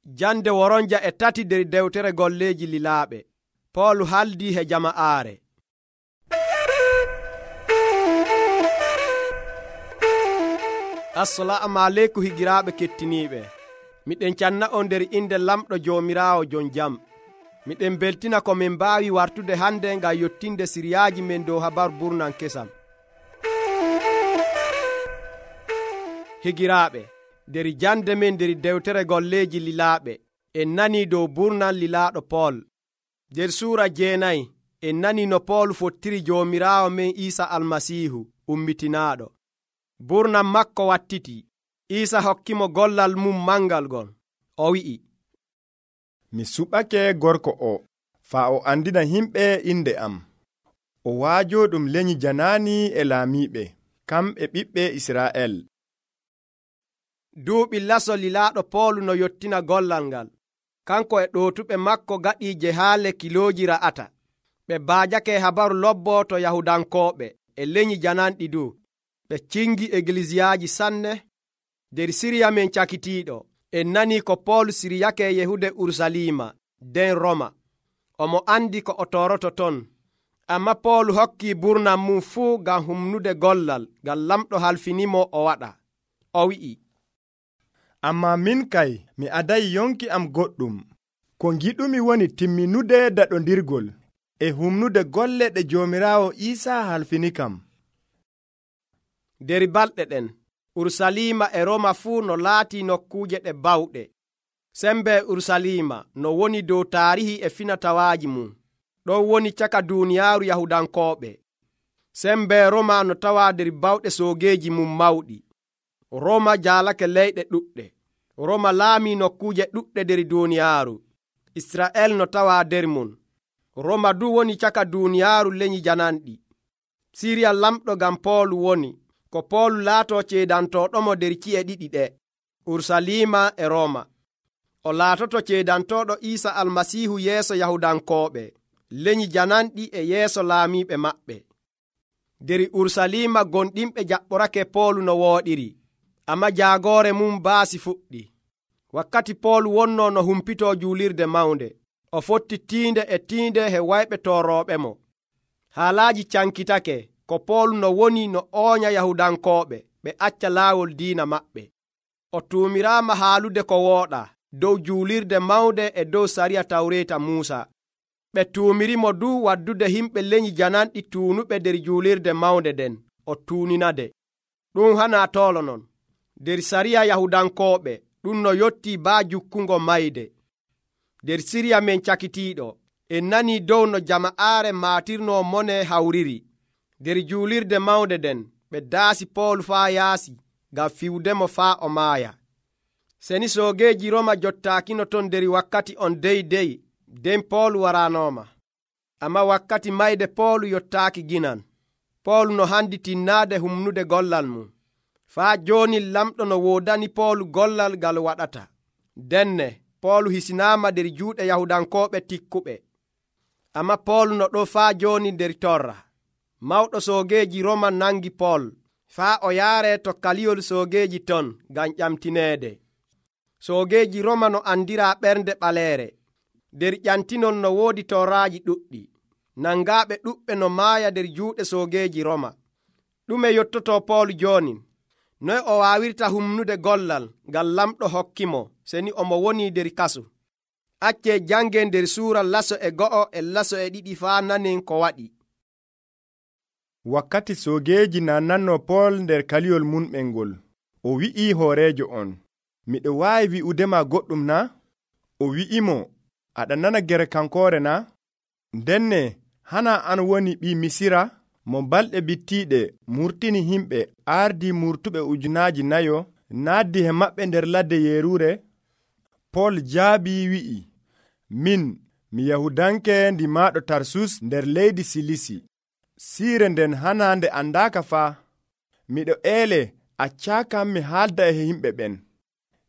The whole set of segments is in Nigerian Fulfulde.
Jande woronja e tati nder dewtere golleeji lilaaɓe. Poolu haldii he jama'aare. Assalamu aleykum higiraaɓe kettiniiɓe. Miɗen canna on nder inde lamɗo Joomiraawo jon jam. Miɗen beltina ko min mbaawi wartude hande ngam yottinde siriyaaji men dow habaru burnan kesam. Higiraaɓe, nder jande men nder dewtere golleeji lilaaɓe en nanii dow burnan lilaaɗo Pool. Nder suura 9 en nanii no Pool fottiri Joomiraawo men Iisa Almasiihu ummitinaaɗo. Burnan makko wattiti. Iisa hokkimo gollal mum mangal gon. O wi'i, mi suɓake gorko o faa o andina himɓe inde am. O waajo ɗum lenyi janaani e laamiiɓe, kamɓe ɓiɓɓe Israa'el. Duuɓi laso lilaaɗo Poolu no yottina gollal ngal. Kanko e ɗootuɓe makko gaɗii jehaale kilooji ra'ata. Ɓe baajake habaru lobbo to Yahudankooɓe e lenyi jananɗi du. Ɓe cingi egliziyaaji sanne. Nder Siriya men cakitiiɗo, en nanii ko Poolu siryake yehude Urusalima nden Roma. Omo andi ko o toroto ton. Amma Poolu hokkii burnan mum fuu ngam humnude gollal ngam lamɗo halfinimo o waɗa. O wi'i, amma min kay mi adayi yonki am goɗɗum. Ko giɗumi woni timminude daɗondirgol e humnude golle ɗe Joomiraawo Iisa halfini kam. Nder balɗe ɗen, Urusalima e Roma fuu no laatii nokkuuje ɗe bawɗe. Sembe Urusalima no woni dow taarihi e finatawaaji mum. Ɗon woni caka duuniyaaru Yahudankooɓe. Sembe Roma no tawaa nder bawɗe soogeeji mum mawɗi. Roma jaalake leyɗe ɗuɗɗe. Roma laamii nokkuuje ɗuɗɗe nder duuniyaaru. Isra'el no tawaa nder mum. Roma du woni caka duuniyaaru lenyi jananɗi. Siriya lamɗo ngam Poolu woni, ko Poolu laatoo ceedantooɗomo nder ci'e ɗiɗi ɗe, Urusalima e Roma. O laatoto ceedantooɗo Iisa Almasiihu yeeso Yahudankooɓe, lenyi jananɗi e yeeso laamiiɓe maɓɓe. Nder Urusalima gonɗinɓe jaɓɓorake Poolu no wooɗiri, amma jaagoore mum baasi fuɗɗi. Wakkati Poolu wonnoo no humpitoo juulirde mawnde, o fotti tiinde e tiinde he wayɓe toorooɓemo. Haalaaji cankitake ko Poolu no woni no ooña Yahudankooɓe ɓe acca laawol diina maɓɓe. O tuumiraama haalude ko wooɗaa dow juulirde mawnde e dow sariya Tawreeta Muusa. Ɓe tuumirimo du waddude himɓe lenyi jananɗi tuunuɓe nder juulirde mawnde nden, o tuuninade. Ɗum hanaa toolo non. Nder sariya Yahudankooɓe ɗum no yottii baa jukkungo mayde. Nder Siriya men cakitiiɗo, en nanii dow no jama'aare maatirnoo mone hawriri. Nder juulirde mawnde nden, ɓe daasi Poolu faa yaasi ngam fiwdemo faa o maaya. Seni soogeeji Roma jottaakino ton nder wakkati on deydey, nden Poolu waraanooma. Amma wakkati mayde Poolu yottaaki ginan. Poolu no handi tinnaade humnude gollal mum. Faa jooni lamɗo no woodani Poolu gollal ngal waɗata. Denne Poolu hisinaama nder juuɗe Yahudankooɓe tikkuɓe. Amma Poolu no ɗo faa jooni nder torra. Mawɗo soogeeji Roma nangi Pool faa o yaare to kaliyol soogeeji ton ngam ƴamtineede. Soogeeji Roma no andiraa ɓernde ɓaleere. Nder ƴantinol no woodi torraaji ɗuɗɗi. Nangaaɓe ɗuɓɓe no maaya nder juuɗe soogeeji Roma. Ɗume yottotoo Poolu jooni? Noy o waawirta humnude gollal ngam lamɗo hokkimo seni omo woni nder kasu? Accee jangen nder suura laso e 1 e laso e 2 faa nanen ko waɗi. Wakkati soogeeji nananno Pool nder kaliyol munɓel ngol, o wi'i hooreejo on, miɗo waawi wi'udema goɗɗum na? O wi'imo, aɗa nana gere kankoore na? Ndenne hana an woni ɓii Misira mo balɗe bittiiɗe murtini himɓe ardi murtuɓe 4,000 naaddi he maɓɓe nder ladde yeeruure? Pool jaabii wi'i, min mi Yahudanke ndimaaɗo Tarsus nder leydi Silisi. Siire nden hana nde andaaka faa. Miɗo eele accaakam mi haalda e himɓe ɓen.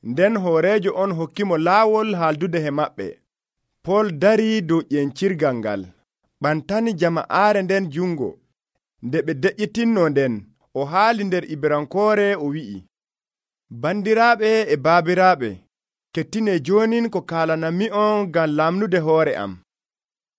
Nden hooreejo on hokkimo laawol haaldude he maɓɓe. Pool darii dow ƴencirgal ngal, ɓantani jama'aare nden jungo. Nde ɓe deƴƴitinno nden, o haali nder Ibrankoore o wi'i, bandiraaɓe e baabiraaɓe, kettine jonin ko kaalanami'on ngam lamnude hoore am.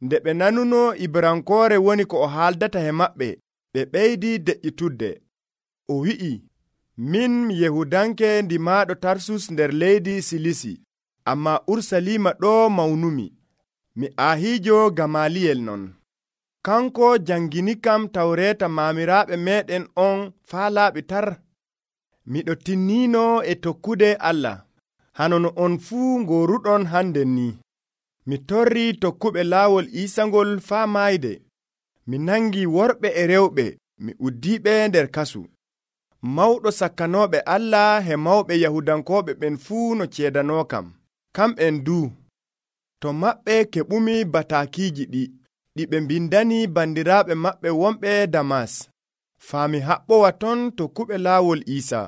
Nde ɓe nanuno Ibrankoore woni ko o haaldata he maɓɓe, ɓe ɓeydi deƴƴitudde. O wi'i, min mi Yahudanke ndimaaɗo Tarsus nder leydi Silisi, ammaa Urusalima ɗo mawnumi. Mi aahiijo Gamaliyel non. Kanko jangini kam tawreeta maamiraaɓe meeɗen on faa laaɓi tar. Miɗo tinniino e tokkude Allah, hano no on fuu ngooruɗon hannden ni. Mi torrii tokkuɓe laawol Iisangol faa maayde. Mi nangi worɓe e rewɓe, mi uddiiɓe nder kasu. Mawɗo sakkanooɓe Allah he mawɓe Yahudankooɓe ɓen fuu no ceedanookam. Kamɓen duu, to maɓɓe keɓumi bataakiiji ɗi ɓe mbindani bandiraaɓe maɓɓe wonɓe Damas. Faa mi haɓɓowa ton tokkuɓe laawol Iisa.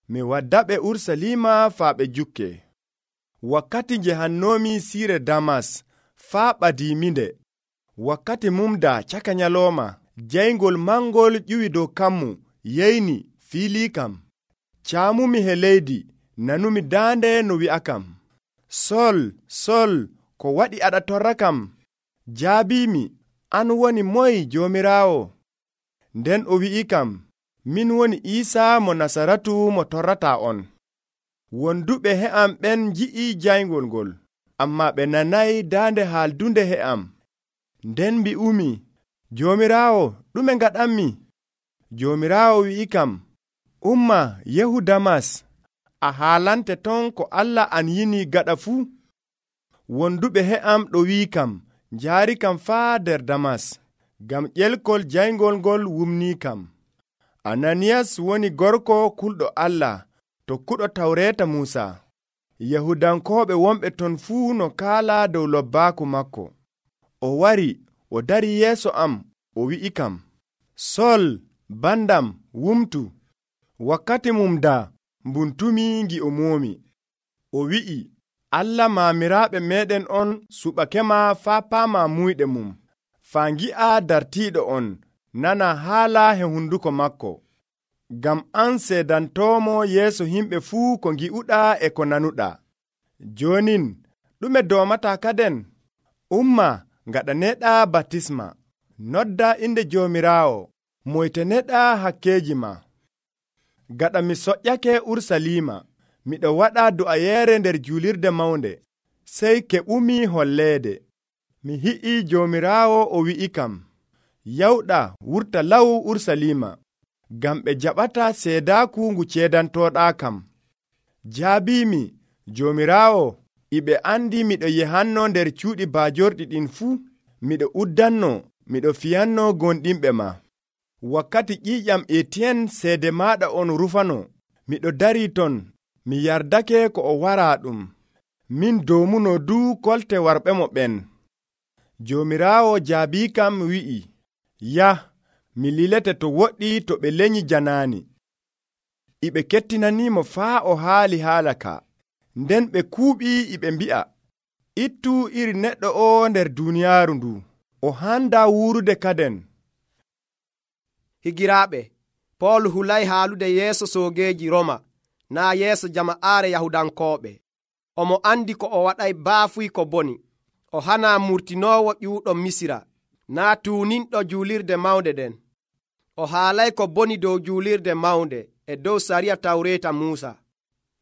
Mi waddaɓe Urusalima faa ɓe jukke. Wakkati njehannoomi siire Damas faa ɓadiiminde. Wakkati mumda caka nyalooma, jayngol mangol ƴiwi dow kammu, yeyni fiiliikam. Caamumi he leydi, nanumi daande no wi'akam, Sol, Sol, ko waɗi aɗa torra kam? Jaabiimi, an woni moy, Joomiraawo? Nden o wi'ikam, min woni Iisa mo Nasaratu mo torrataa on. Wonduɓe he'am ɓen nji'i jayngol ngol, ammaa ɓe nanayi daande haaldunde he'am. Nden mbi'umi, Joomiraawo, ɗume ngaɗammi? Joomiraawo wi'ikam, umma yehu Damas, a haalante ton ko Allah an yini gaɗa fuu. Wonduɓe he'am ɗo wi'ikam, njaarikam faa nder Damas, ngam ƴelkol jayngol ngol wumniikam. Ananiyas woni gorko kulɗo Allah, tokkuɗo tawreeta Muusa. Yahudankooɓe wonɓe ton fuu no kaala dow lobbaaku makko. O wari, o dari yeeso am, o wi'ikam, Sol, bandam, wumtu. Wakkati mumda mbuntumi ngi o moomi. O wi'i, Allah maamiraaɓe meeɗen on suɓakema faa paama muyɗe mum, faa ngi'a dartiiɗo on, nana haala he hunduko makko. Ngam an seedantoomo yeeso himɓe fuu ko ngi'uɗaa e ko nanuɗaa. Jonin, ɗume doomataa kaden? Umma, ngaɗaneeɗaa batisma, nodda inde Joomiraawo, moytaneɗaa hakkeeji ma. Gaɗa mi soƴƴake Urusalima, miɗo waɗa du'ayeere nder juulirde mawnde, sey keɓumi holleede. Mi hi'i Joomiraawo o wi'ikam, yawɗa wurta law Urusalima, ngam ɓe jaɓata seedaaku ngu ceedantooɗaa kam. Jaabiimi, Joomiraawo, iɓe andi miɗo yehanno nder cuuɗi baajorɗi ɗin fuu, miɗo uddanno, miɗo fiyanno gonɗinɓe ma. Wakkati ƴiiƴam Etiyen seede maaɗa on rufano, miɗo darii ton, mi yardake ko o waraa ɗum. Min doomuno duu kolte warɓe mo ɓen. Joomiraawo jaabiikam wi'i, yah, mi lilete to woɗɗi to ɓe lenyi janaani. Iɓe kettinaniimo faa o haali haala ka. Nden ɓe kuuɓi iɓe mbi'a, ittu iri neɗɗo o nder duuniyaaru ndu, o handaa wuurude kaden. Higiraaɓe, Pool hulay haalude yeeso soogeeji Roma, naa yeeso jama'aare Yahudankooɓe. Omo andi ko o waɗay baafuy ko boni. O hanaa murtinoowo ƴuuɗo Misira, naa tuuninɗo juulirde mawnde ɗen. O haalay ko boni dow juulirde mawnde e dow sariya tawreeta Muusa.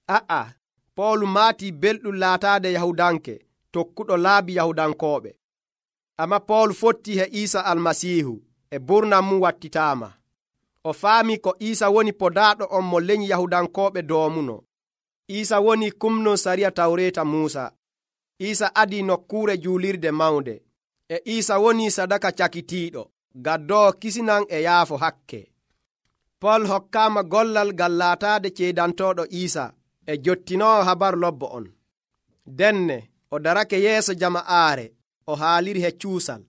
A'a, Pool maatii belɗum laataade Yahudanke, tokkuɗo laabi Yahudankooɓe. Amma Pool fottii he Iisa Almasiihu, e burnam mum wattitaama. O faami ko Iisa woni podaaɗo on mo lenyi Yahudankooɓe doomuno. Iisa woni kumno sariya tawreeta Muusa. Iisa adii nokkuure juulirde mawnde. E Iisa woni sadaka cakitiiɗo, gaddoowo kisinan e yaafo hakke. Pool hokkaama gollal ngal laataade ceedantooɗo Iisa e jottinoowo habaru lobbo on. Denne o darake yeeso jama'aare, o haaliri he cuusal.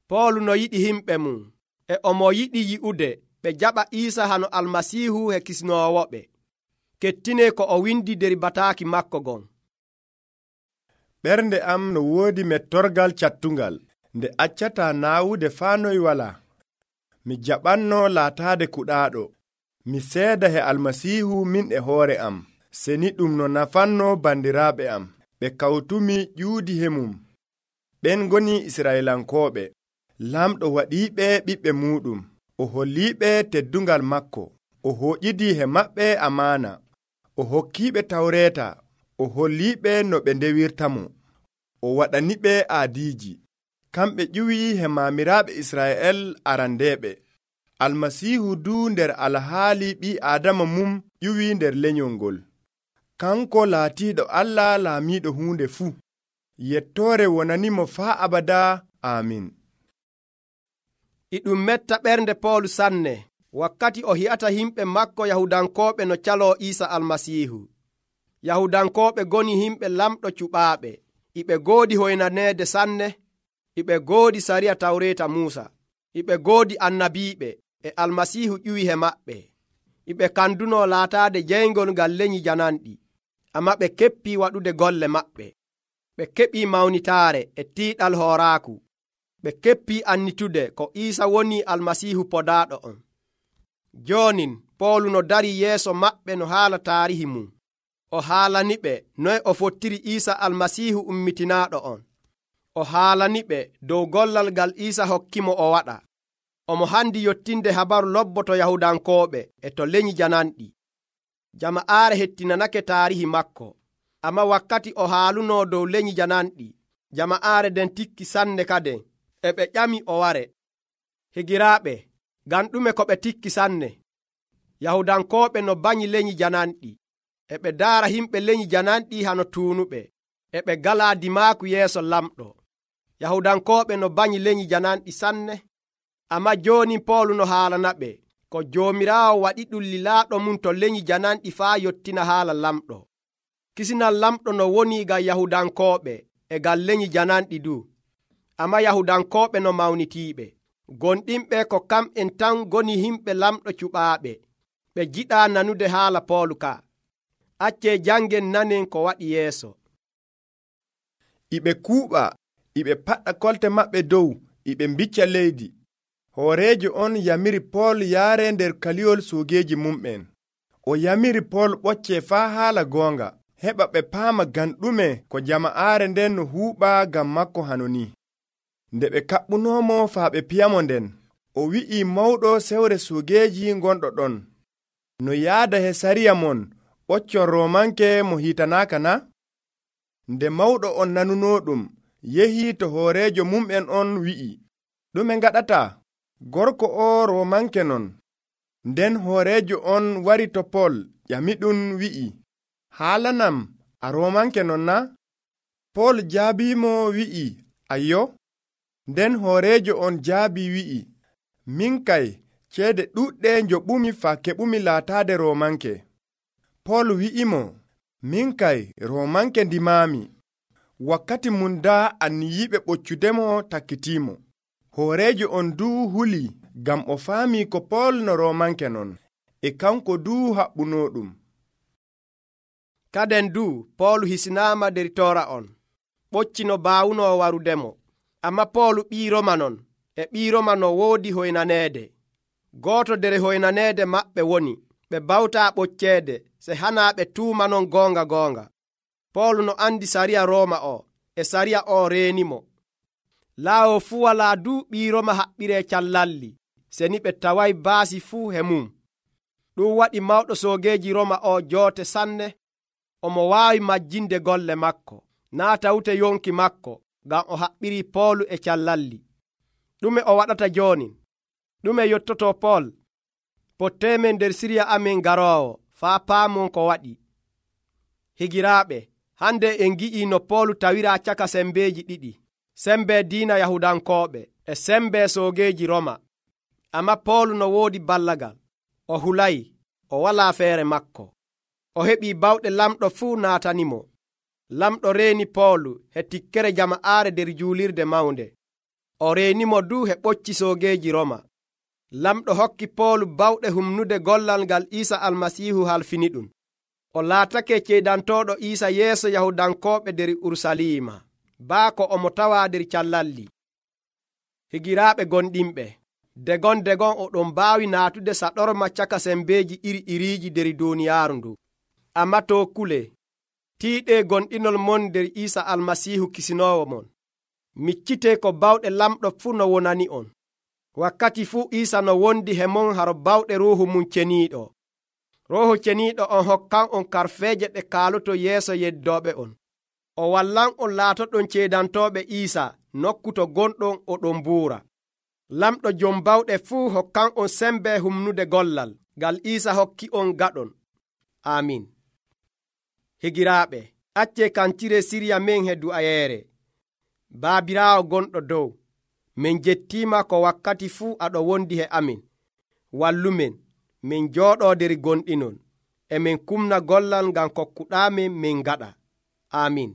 Pool no yiɗi himɓe mum, e omo yiɗi yi'ude ɓe jaɓa Iisa hano Almasiihu he kisnoowoɓe. Kettine ko o windi der bataaki makko gon. Ɓernde am no woodi mettorgal cattungal, nde accata naawude faa noy walaa. Mi jaɓanno laataade kuɗaaɗo. Mi seeda he Almasiihu min e hoore am. seni ɗum no nafanno bandiraaɓe am ɓe kawtumi ƴuudi hemum. Ɓen ngoni Isra'ilankooɓe. Lamɗo waɗiiɓe ɓiɓɓe muuɗum, o holliiɓe teddungal makko, o hooƴidii he maɓɓe amaana, o hokkiiɓe tawreeta, o holliiɓe no ɓe ndewirtamo, o waɗaniɓe aadiiji. Kamɓe ƴuwii he maamiraaɓe Isra'el arandeeɓe. Almasiihu duu nder alhaali ɓii Aadama mum ƴuwii nder lenyol ngol. Kanko laatiiɗo Allah laamiiɗo huunde fuu. Yettoore wonanimo faa abadaa. Aamin. E ɗum metta ɓernde Poolu sanne wakkati o hi'ata himɓe makko Yahudankooɓe no caloo Iisa Almasiihu. Yahudankooɓe goni himɓe lamɗo cuɓaaɓe, iɓe goodi hoynaneede sanne, iɓe goodi sariya tawreeta Muusa, iɓe goodi annabiiɓe, e Almasiihu ƴuwi he maɓɓe. Iɓe kanduno laataade jeyngol ngal lenyi jananɗi, ammaa ɓe keppii waɗude golle maɓɓe. Ɓe keɓii mawnitaare e tiiɗal hooraaku. Ɓe keppii annitude ko Iisa woni Almasiihu podaaɗo on. Joonin Poolu no darii yeeso maɓɓe no haala taarihi mum. O haalaniɓe noye o fottiri Iisa Almasiihu ummitinaaɗo on. O haalaniɓe dow gollal ngal Iisa hokkimo o waɗa. Omo handi yottinde habaru lobboto Yahudankooɓe e to lenyi jananɗi. Jama'aare hettinanake taarihi makko. Amma wakkati o haalunoo dow lenyi jananɗi, jama'aare den tikki sanne kaden, e ɓe ƴami o ware. Higiraaɓe, ngam ɗume ko ɓe tikki sanne? Yahudankooɓe no banyi lenyi jananɗi, e ɓe daara himɓe lenyi jananɗi hano tuunuɓe, e ɓe galaa dimaaku yeeso lamɗo. Yahudankooɓe no banyi lenyi jananɗi sanne, amma jooni Poolu no haalanaɓe ko Joomiraawo waɗi ɗum lilaaɗo mum to lenyi jananɗi faa yottina haala lamɗo. Kisinal lamɗo no woni ngam Yahudankooɓe e ngam lenyi jananɗi du, amma Yahudankooɓe no mawnitiiɓe. Gonɗinɓe ko kamɓen tan goni himɓe lamɗo cuɓaaɓe, ɓe jiɗaa nanude haala Poolu ka. Accee jangen nanen ko waɗi yeeso. Iɓe kuuɓa, iɓe paɗɗa kolte maɓɓe dow, iɓe mbicca leydi. Hooreejo on yamiri Pool yaare nder kaliyol soogeeji mumɓen. O yamiri Pool ɓocce faa haala goonga, heɓa ɓe paama ngam ɗume ko jama'aare nden no huuɓa ngam makko hano ni. Nde ɓe kaɓɓunoomo faa ɓe piyamo nden, o wi'ii mawɗo sewre soogeeji gonɗo ɗon, no yaada he sariya mon ɓoccon Roomanke mo hiitanaaka na? Nde mawɗo on nanunoo ɗum, yehii to hooreejo mum'en on wi'i, ɗume ngaɗata? Gorko o Roomanke non. Nden hooreejo on wari to Pool ƴamiɗum wi'i, haalanam a Roomanke non na? Pool jaabiimo wi'i, ayyo. Nden hooreejo on jaabi wi'i, min kay ceede ɗuɗɗe njoɓumi faa keɓumi laataade Roomanke. Pool wi'imo, min kay Roomanke ndimaami. Wakkati mum daa anniyiiɓe ɓoccudemo takkitiimo. Hooreejo on duu huli ngam o faami ko Pool no Roomanke non, e kanko duu haɓɓunoo ɗum. Kaden duu Poolu hisinaama der toora on, ɓocci no baawunoo warudemo. Amma Poolu ɓii Roma non, e ɓii Roma no woodi hoynaneede. Gooto nder hoynaneede maɓɓe woni, ɓe bawtaa ɓocceede, se hanaa ɓe tuumanon goonga. Poolu no andi sariya Rooma o, e sariya o reenimo. Laawo fuu walaa duu ɓii Roma haɓɓiree callalli, seni ɓe taway baasi fuu he mum. Ɗum waɗi mawɗo soogeeji Roma o joote sanne, omo waawi majjinde golle makko, naa tawte yonki makko, ngam o haɓɓirii Poolu e callalli. Ɗume o waɗata jooni? Ɗume yottoto Pool? Potteemen nder siriya amen garoowo, faa paamon ko waɗi. Higiraaɓe, hande en ngi'ii no Poolu tawiraa caka sembeeji ɗiɗi, sembe diina Yahudankooɓe e sembe soogeeji Roma. Amma Poolu no woodi ballagal, o hulay, o walaa feere makko. O heɓii bawɗe lamɗo fuu naatanimo. Lamɗo reeni Poolu he tikkere jama'aare nder juulirde mawnde. O reenimo duu he ɓocci soogeeji Roma. Lamɗo hokki Poolu bawɗe humnude gollal ngal Iisa Almasiihu halfini ɗum. O laatake ceedantooɗo Iisa yeeso Yahudankooɓe nder Urusalima, baako omo tawaa nder callalli. Higiraaɓe gonɗinɓe, degon oɗon mbaawi naatude saɗorma caka sembeeji iri-iriiji nder duuniyaaru ndu. Ammaa to kule tiiɗe gonɗinol mon nder Iisa Almasiihu kisinoowo mon. Miccitee ko bawɗe lamɗo fuu no wonani on. Wakkati fuu Iisa no wondi he mon haro bawɗe Ruuhu mum ceniiɗo. Ruuhu ceniiɗo on hokkan on karfeeje ɗe kaaloto yeeso yeddooɓe on. O wallan on laatoɗon ceedantooɓe Iisa nokku to gonɗon oɗon buura. Lamɗo jom bawɗe fuu hokkan on sembe humnude gollal ngal Iisa hokki on gaɗon. Amin. Higiraaɓe, accee kancire sirya men he du'ayeere. Baabiraawo gonɗo dow, min jettiima ko wakkati fuu aɗo wondi he amin. Wallumen, min jooɗoo der gonɗinon, e min kumna gollal ngam kokkuɗaamin min gaɗa. Amin.